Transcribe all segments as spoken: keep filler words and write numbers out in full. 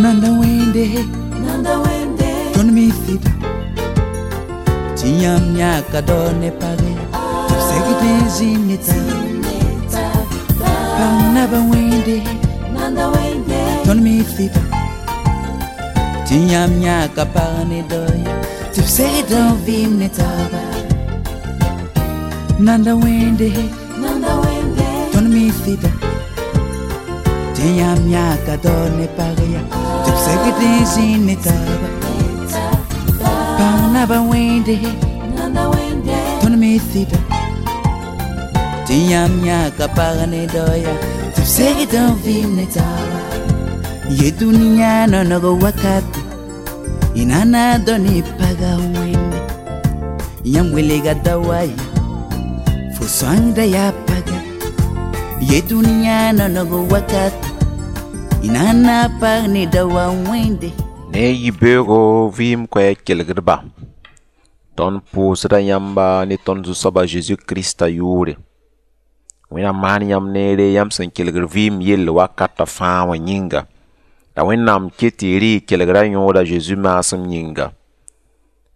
Nanda wẽnde, Nanda wẽnde, tõnd mi sɩda tɩ yãmb yãka dao ne page tɩ b segd n zĩnd ne taaba. Pãng naba wẽnde, Nanda wẽnde, tõnd mi sɩda tɩ yãmb yãka pag ne dao ya tɩ b segd n vɩɩm ne taaba. Nanda wẽnde, Nanda wẽnde, tõnd mi sɩda tɩ yãmb yãka dao ne pag ya tɩ b segd n zĩnd ne taaba. Pãng naba wẽnde, Nanda wẽnde, tõnd mi sɩda tɩ yãmb yãka pag ne dao ya tɩ b segd n vɩɩm ne taaba. Ye dũniyã nonog wakate y na na dao ne paga wẽnde, yãmb welga daoa ya fo sõangda yaa paga. Ye dũniyã nonog wakate y na na pag ne daoa wẽnde. Ne yibeoogo vɩɩm koɛɛg kelgdba, tõnd pʋʋsda yãmba ne tõnd Zu-soaba Zeezi Krista yʋʋre. Wẽnnaam maan yãmb neere yãmb sẽn kelgd vɩɩm yell wakatã fãa wã yĩnga. La Wẽnnaam ket tɩ y rɩ y kelgra yõoda Zeezi maasem yĩnga.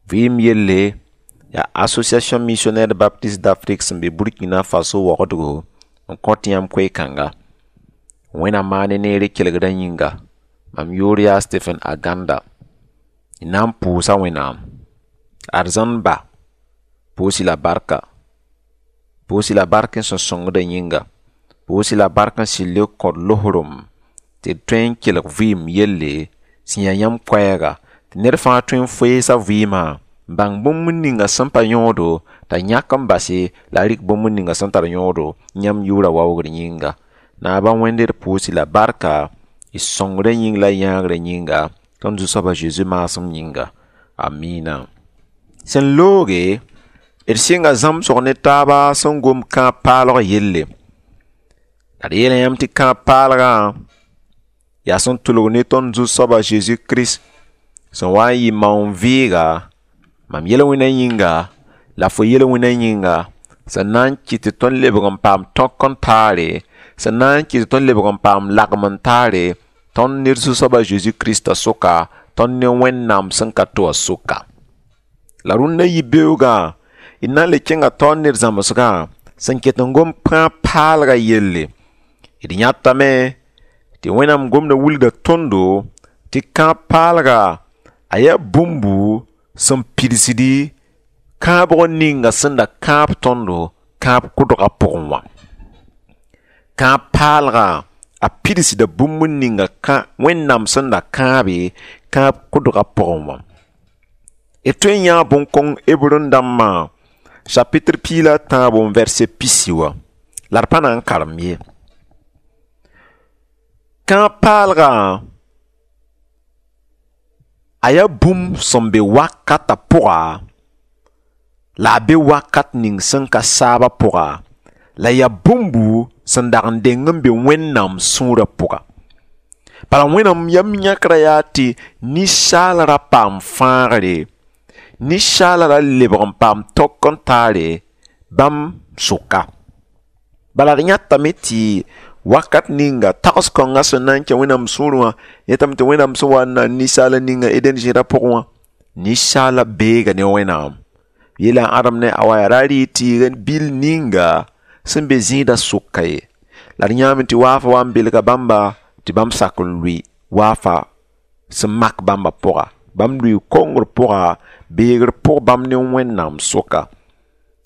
Vɩɩm yelle yaa Association Missionnaire Baptiste d'Afrique sẽn be Burkina Faso waoogdgo n kõt yãmb koe-kãnga. Wẽnnaam maan ne neere kelgrã yĩnga. Mam yʋʋr yaa Stephen Aganda. Y na n pʋʋsa Wẽnnaam. Arzãn ba, pʋʋs-y la barka. Pʋʋs-y la bark n sẽn sõngdã yĩnga. Pʋʋs-y la bark n sɩd le kõt losrem tɩ d tõe n kelg vɩɩm yelle sẽn yaa yãmb koɛɛga, tɩ ned fãa tõe n foeesa vɩɩmã n bãng bũmb ninga sẽn pa yõodo t'a yãk n base la a rɩk bũmb ninga sẽn tar yõodo yãmb yʋʋra waoogr yĩnga. Naaba Wẽnde d pʋʋs-y la barka y sõngrã yĩng la yãagrã yĩnga, tõnd Zu-soaba Zeezi maasem yĩnga. Amina. Sẽn looge, d sɩnga zãmsg ne taaba sẽn gom kãab paalg yelle. La d yeela yãmb tɩ kãab paalgã yaa sẽn tʋlg ne tõnd Zu-soaba Zeezi Kirist sẽn wa n yɩ maoon vɩɩga, mam yel-wẽnã yĩnga la fo yel-wẽnã yĩnga, sẽn na n kɩt tɩ tõnd lebg n paam tõk n taare, sẽn na n kɩt tɩ tõnd lebg n paam lagem n taare, tõnd ne d Zu-soaba Zeezi Kirista sʋka, tõnd ne Wẽnnaam sẽn ka to wã sʋka. La rũndã yibeoogã d na n le kẽnga taoor ne d zãmsgã sẽn ket n gom kãab paalgã yelle. D yãtame tɩ Wẽnnaam gomdã wilgda tõndo tɩ kãab paalga a yaa bũmbu sẽn pidsdi kãabg ninga sẽn da kãab tõndo kãab kʋdgã pʋgẽ wã. Kãab paalgã a pidsda bũmb ninga Wẽnnaam sẽn da kãabe kãab kʋdgã pʋgẽ wã. D tõe n yãa bõn-kõng Hebrẽ dãmbã chapitre piig la a tãabo n verset pisi wã, la d pa na n karem ye. Kãab paalgã a yaa bũmb sẽn be wakatã pʋga la a be wakat ning sẽn ka saabã pʋga, la yaa bũmbu sẽn dag n deng n be Wẽnnaam sũurã pʋga. Bala Wẽnnaam yam yãkrã yaa tɩ ninsaal ra paam fãagre, ninsaal ra lebg n paam tõk n taare bãmb sʋka. Bala d yãtame tɩ wakat ninga tags kõngã sẽn na n kẽ Wẽnnaam sũurẽ wã, yetame tɩ Wẽnnaam sẽn wa n na n ninsaala ninga Eden zẽrã pʋgẽ wã, ninsaala beega ne Wẽnnaam. Yeela Adam ne Awa yaa ra rɩ tɩɩg bil ninga sẽn be zĩigã sʋka ye. La d yãame tɩ waafa wa n belga bãmba tɩ bãmb sak n lʋɩ waafa sẽn mak bãmba pʋga. Bãmb lʋɩ kongr pʋga, beegr pʋg bãmb ne Wẽnnaam sʋka.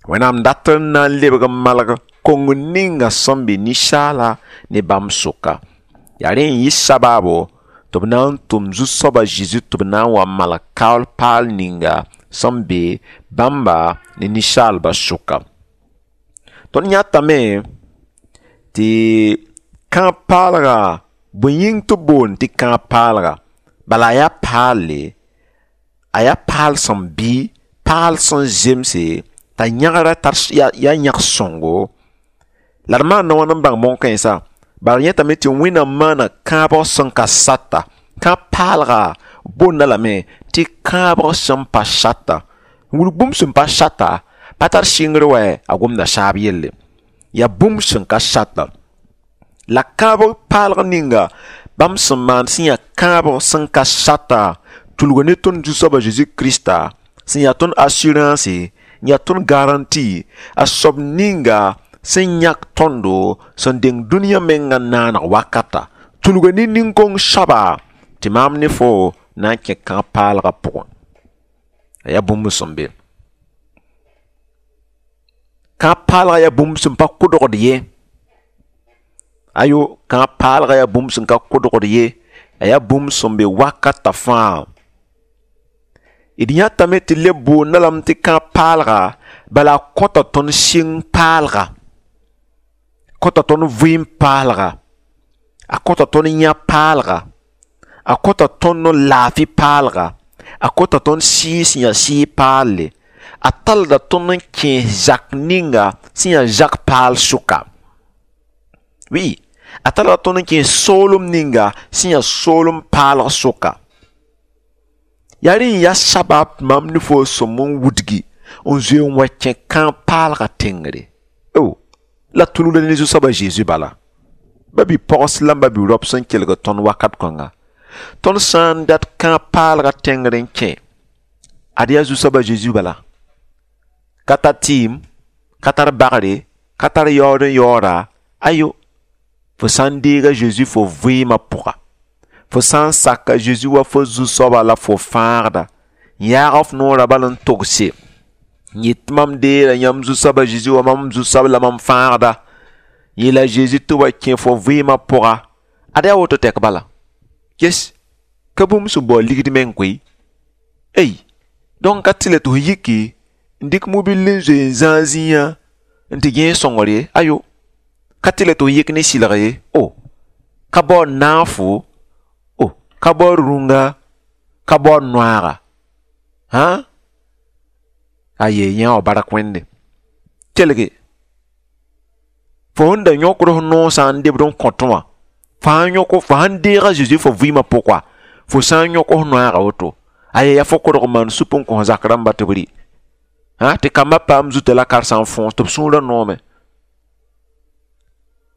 Wẽnnaam dat n na n lebg n malg kong ninga sẽn be ninsaala ne bãmb sʋka. Yaa rẽ n yɩ sabaabo tɩ b na n tʋm Zu-soaba Zeezi tɩ b na n wa malg kaool paal ninga sẽn be bãmba ne ninsaalbã sʋka. Tõnd yãtame tɩ kãab paalga bõe yĩng tɩ b boond tɩ kãab paalga, bala a yaa paalle, a yaa paal sẽn bɩ, paal sẽn zemse, t'a yãgra tar yaa yãg sõngo. La d maanda wãn n bãng bõn-kãensã? Bala d yẽtame tɩ Wẽnnaam maana kãabg sẽn ka sata. Kãab paalga boonda lame tɩ kãabg sẽn pa sata. Wilg bũmb sẽn pa sata pa tar sɩngr wɛ, a gomda saab yelle. Yaa bũmb sẽn ka sata. La kãabg paalg ninga Bãmb sẽn maan sẽn yaa kãabg sẽn ka sata tulga ne tõnd Zu-soaba Zeezi Krista sẽn yaa tõnd assurance n yaa tõnd garanti a soab ninga sẽn yãk tõndo sẽn deng dũniyã menga naaneg wakata tulga ne nin-kong soaba tɩ maam ne fo na n kẽ kãab-paalgã pʋgẽ. A yaa bũmb sẽn be kãab-paalgã yaa bũmb sẽn pa kʋdgd ye. Ayo, kãab-paalgã yaa bũmb sẽn ka kʋdgd ye, a yaa bũmb sẽn be wakata fãa. D yãtame tɩ leb boonda lame tɩ kãab-paalga bala a kõta tõnd sɩng paalga, kõta tõnd vɩɩm paalga, a kõta tõnd yã paalga, a kõta tõnd laafɩ paalga, a kõta tõnd sɩɩg sẽn yaa sɩɩg paalle, a talda tõnd n kẽes zak ninga sẽn yaa zak paal sʋka. Oui, a talda tõnd n kẽes soolem ninga sẽn yaa soolem paalg sʋka. Yaa rẽ n yaa sabab mam ne fo sõm n wudgi n zoe n wa kẽ kãab-paalgã tẽngre. O la tulgda ne Zu-soaba Zeezi bala. Ba bi-pogs la ba bi-raop sẽn kelg tõnd wakat kõnga. Tõnd sã n dat kãab-paalgã tẽngr n kẽ, ad yaa Zu-soaba Zeezi bala. Ka tar tɩɩm, ka tar bagre, ka tar yaood n yaooda, ayo. Fo sã n deega Zeezi fo vɩɩmã pʋga, fo sã n saka Zeezi wa fo zu-soaba la fo fãagda, n yaag f noorã bal n togse n yet tɩ mam deera yãmb Zu-soaba Zeezi wa mam zu-soab la mam fãagda, yeela Zeezi tɩ wa kẽ fo vɩɩmã pʋga, ad yaa woto tɛk bala. Ges, ka bũmb sẽn bao ligd meng koe. Ey, donc ka tɩ la tɩ f yiki n dɩk mobil n zoe n zãag zĩigã n tɩ gẽes sõngr ye, ayo. Ka tɩ la tɩ f yik ne sɩlg ye, o. Ka bao naafo, o, ka bao rũnga, ka bao noaaga. Hã? Aye, yã wa bark Wẽnde. Kelge, fo sẽn da yõkd f noosã n debd n kõtẽ wã, fo sã n yõk fo sãn deega Zeezi fo vɩɩmã pʋga, fo sã n yõk f noaaga woto, aye, yaa fo kodg n maan sup n kõ zak rãmba tɩ b rɩ. Hã, tɩ kambã paam zuta la karsa n fõos tɩ b sũurã noome.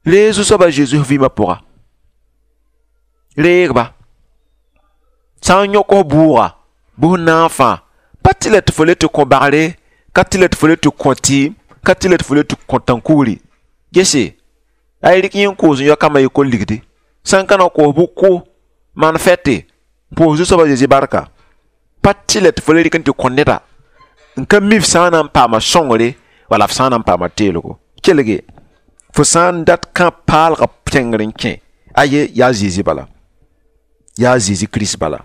Reeg Zu-soaba Zeezi f vɩɩmã pʋga. Reegba. Sã n yõk f bʋʋga, bʋ f naafã, pa tɩ la tɩ fo le tɩ kõ bagre, ka tɩ la tɩ fo le tɩ kõ tɩɩm, ka tɩ la tɩ fo le tɩ kõ tãn-kugri. Gese, a y rɩk yẽ n koos n yao kambã yɩ kol ligdi. Sã n ka na koos bʋ kʋ, maan fɛte, pʋʋs Zu-soaba Zeezi barka. Pa tɩ la tɩ fo le rɩk n tɩ kõ neda n ka mi f sã n na n paama sõngre wala f sã n na n paama teelgo. Kelge, fo sã n dat kãab-paalgã tẽngr n kẽ, aye, yaa Zeezi bala. Yaa Zeezi Kirist bala.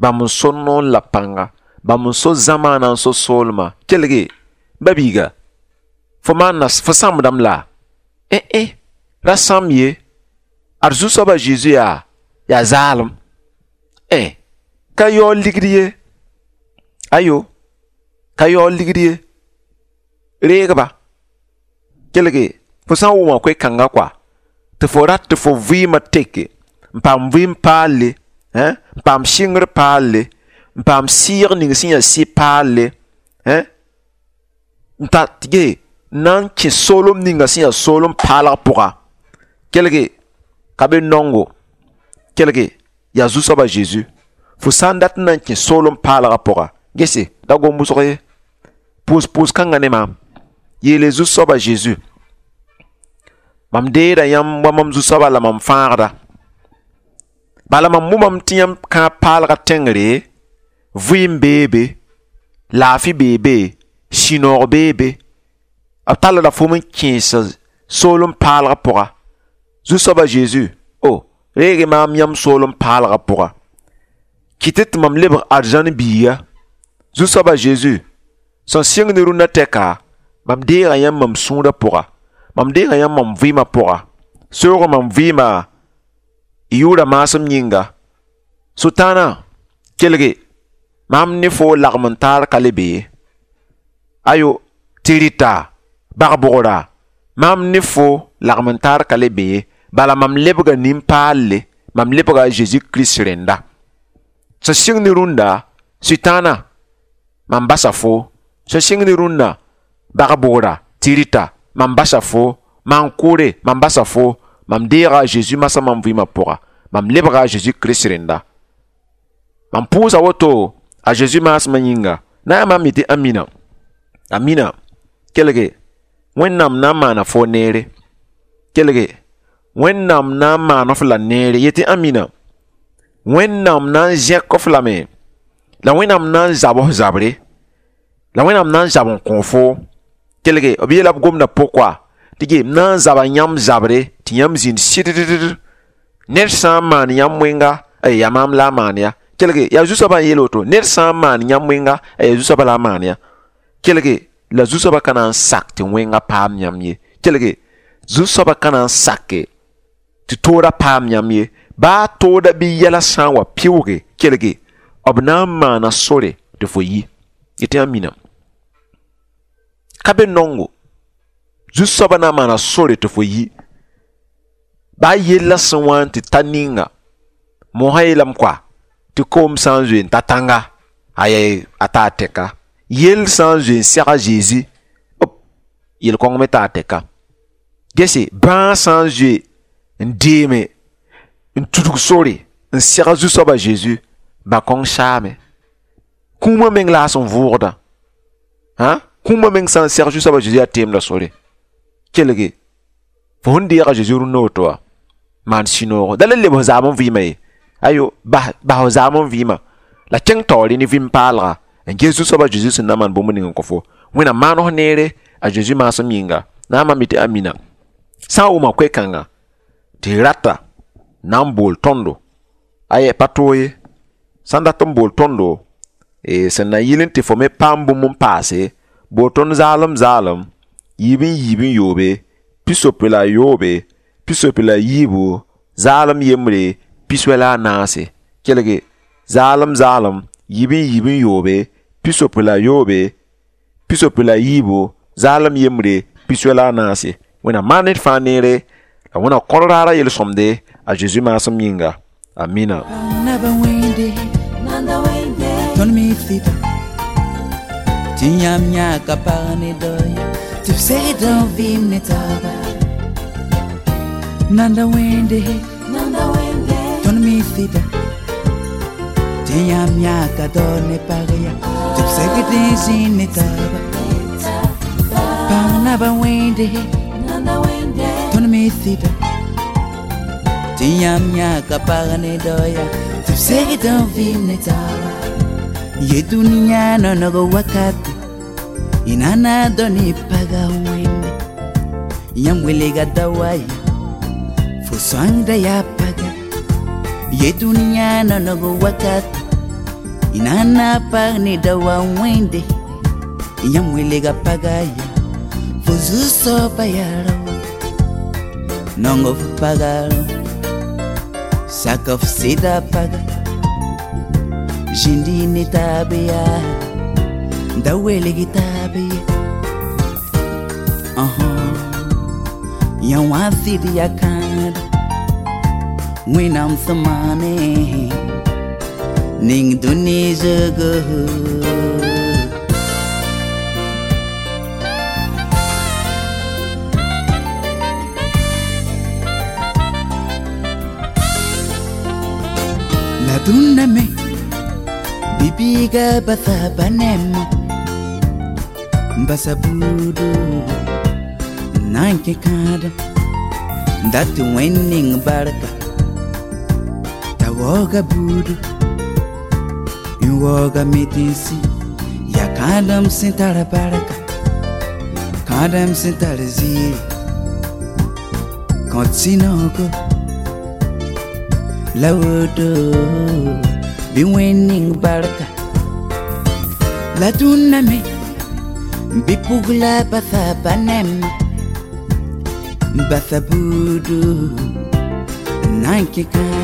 Bãmb n so noor la pãnga, bãmb n so zamaana n so soolmã. Kelge, ba-biiga, fo maana fo sãmbdame la? Eh-eh, ra sãmb ye. Ad Zu-soaba Zeezi yaa yaa zaalem. Eh, ka yaood ligd ye. Ayo, ka yaood ligd ye. Reegba. Kelge, fo sã n wʋma koe-kãngã koa, tɩ fo rat tɩ fo vɩɩmã teke, n paam vɩɩm paalle, n paam sɩngr paalle, n paam sɩɩg ning sẽn yaa sɩ paalle, n tar ge n na n kẽ soolem ninga sẽn yaa soolem paalg pʋga. Kelge, ka be nongo. Kelge, yaa Zu-soaba Zeezi. Fo sã n dat n na n kẽ soolem paalgã pʋga, gese, da gom wʋsg ye. Pʋʋs pʋʋs kãngã ne maam. Yeele Zu-soaba Zeezi. Mam deeda yãmb wa mam Zu-soaba la mam fãagda. Bala mam wʋmame tɩ yãmb kãab-paalgã tẽngre, vɩɩm bee be, laafɩ bee be, sũ-noog bee be. B tallda fo n kẽes soolem paalgã pʋga. Zu-soaba Zeezi, o, reeg maam yãmb soolem paalgã pʋga. Kɩt tɩ mam lebg arzãn biiga. Zu-soaba Zeezi, sẽn sɩng ne rũndã tɛka, mam deega yãmb mam sũurã pʋga. Mam deega yãmb mam vɩɩmã pʋga. Soog mam vɩɩmã y yʋʋra maasem yĩnga. Sʋtãanã, kelge, maam ne fo lagm n taar ka le be ye. Ayo, tɩ rɩta, bag-bʋgra, maam ne fo lagm n taar ka le be ye. Bala mam lebga nin-paalle, mam lebga a Zeezi Kirist rẽnda. Sẽn sɩng ne rũndã, Sʋtãanã, mam basa fo. Sẽn sɩng ne rũndã, bag-bʋgra, tɩ rɩta, mam basa fo. Maan-kʋʋre, mam basa fo. Mam deega a Zeezi masã mam vɩɩmã pʋga. Mam lebga a Jésus Kirist rẽnda. Mam pʋʋsa woto a Jésus maasmã yĩnga. Na yaa maam yetɩ amina. Amina. Kelge, Wẽnnaam na n maana fo neere. Kelge, Wẽnnaam na n maan f la neere. Yetɩ amina. Wẽnnaam na n zẽk f lame. La Wẽnnaam na n zab f zabre. La Wẽnnaam na n zab n kõ fo. Kelge, b yeela b gomda pʋkwa tɩ ge m na n zaba yãmb zabre tɩ yãmb zĩnd sɩddd. Ned sã n maan yãmb wẽnga, ay yaa maam la a maan ya. Kelge, yaa zu-soabã n yeel woto, ned sã n maan yãmb wẽnga, yaa zu-soabã la a maan ya. Kelge, la zu-soabã ka na n sak tɩ wẽnga paam yãmb ye. Kelge, zu-soabã ka na n sake tɩ toodã paam yãmb ye. Baa tooda bɩ yɛla sã n wa pɩʋʋge, kelge, b na n maana sore tɩ fo yi. Yetɩ yã mina. Ka be nongo. Zu-soabã na n maana sore tɩ fo yi. Baa yella sẽn wa n tɩ ta ninga, mosã yeelame koa tɩ koom sã n zoe n ta tãnga, aya a taa tɛka. Yell sã n zoe n seg a Zezi, op, yel-kõng me taa tɛka. Gese, bãag sã n zoe n deeme n tudg sore n seg a zu-soabã Zeezi, ba-kõng saame. Kũumã meng la a sẽn vʋʋgdã. Hã? Kũumã meng sã n seg zu-soabã Zeezi yaa teemdã sore. Kelge, fo sẽn deega Zeezi rũnnã woto wã, maan sũ-noogo. Da le leb f zaam n vɩɩmã ye. Ayo, bas bas f zaam n vɩɩmã. La kẽng taoore ne vɩɩm paalga n ges zu-soabã Zeezi sẽn na n maan bũmb ning n kõ fo. Wẽnnaam maan f neere a Zeezi maasem yĩnga. Na n maam yetɩ amina. Sã n wʋma koe-kãnga tɩ rata na n bool tõndo, aya pa toog ye. Sã n dat n bool tõndo, e sẽn na yɩl n tɩ fo me paam bũmb n paase, bool tõnd zaalem zaalem, yiib n yiib n yoobe, pisopoe la a yoobe, pisopoe la a yiibu, zaalem yembre, piswɛ la a naase. Kelge, zaalem zaalem, yiib n yiib n yoobe, pisopoe la a yoobe, pisopoe la a yiibu, zaalem yembre, piswɛ la a naase. Wẽnnaam maan ned fãa neere, la Wẽnnaam kõr raara yel-sõmde a Zeezi maasem yĩnga. Amina. Naba wẽnde Nanda wende tõnd mi sɩda tɩ yãmb yãka pag ne dao tɩ b segd n vɩɩm ne taaba. Nanda wẽnde Nanda wende tõnd mi sɩda tɩ yãmb yãka dao ne pag ya tɩ b segd n zĩnd ne taaba. Pag naba wẽnde Nanda wende tõnd mi sɩda tɩ yãmb yãka pag ne dao ya tɩ b segd n vɩɩm ne taaba. Ye duniya nonog wakati inana doni paga wẽnde yãmb welga dawaya fo sõangda yaa paga. Ye duniya nonog wakati inana pag ne dawa wẽnde yãmb welga paga ya fo zu-soaba yaa raoã. Nong f paga rão sak f sɩda paga zĩndi ne taab yaa da welg taab ye. Yã wã sɩd yaa kãada Wẽnnaam sẽn maane ning dũni zʋgo. La dũnna me bi-biiga basa ba nɛɛmã n basa buudu n na n kẽ kãadã n dat tɩ wẽnd ning barka t'a waooga buudu n waooga metensi yaa kãadem sẽn tar barka kãadem sẽn tar ziiri kõt sũ-noogo la woto bɩ wẽnd ning barka. La dũnna me bɩ pugla basa ba nɛɛmã n basa buudu n na n kẽ kãadã.